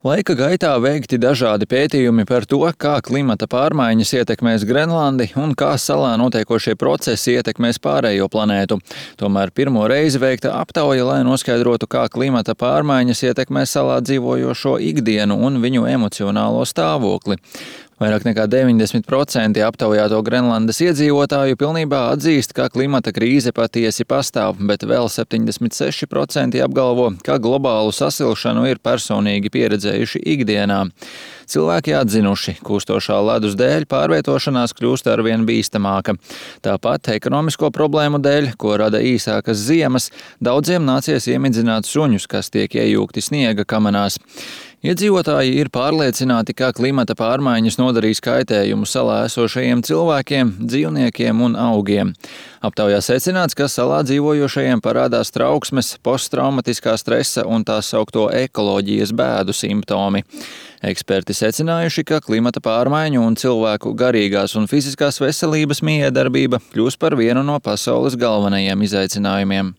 Laika gaitā veikti dažādi pētījumi par to, kā klimata pārmaiņas ietekmēs Grenlandi un kā salā notiekošie procesi ietekmēs pārējo planētu. Tomēr pirmo reizi veikta aptauja, lai noskaidrotu, kā klimata pārmaiņas ietekmē salā dzīvojošo ikdienu un viņu emocionālo stāvokli. Vairāk nekā 90% aptaujāto Grenlandes iedzīvotāju pilnībā atzīst, ka klimata krīze patiesi pastāv, bet vēl 76% apgalvo, ka globālu sasilšanu ir personīgi pieredzējuši ikdienā. Cilvēki atzinuši, kūstošā ledus dēļ pārvietošanās kļūst arvien bīstamāka. Tāpat ekonomisko problēmu dēļ, ko rada īsākas ziemas, daudziem nācies iemidzināt suņus, kas tiek iejūgti sniega kamanās. Iedzīvotāji ir pārliecināti, ka klimata pārmaiņas nodarīs kaitējumu salā esošajiem cilvēkiem, dzīvniekiem un augiem. Aptaujā secināts, ka salā dzīvojošajiem parādās trauksmes, posttraumatiskā stresa un tā saukto ekoloģijas bēdu simptomi. Eksperti secinājuši, ka klimata pārmaiņu un cilvēku garīgās un fiziskās veselības mijiedarbība kļūs par vienu no pasaules galvenajiem izaicinājumiem.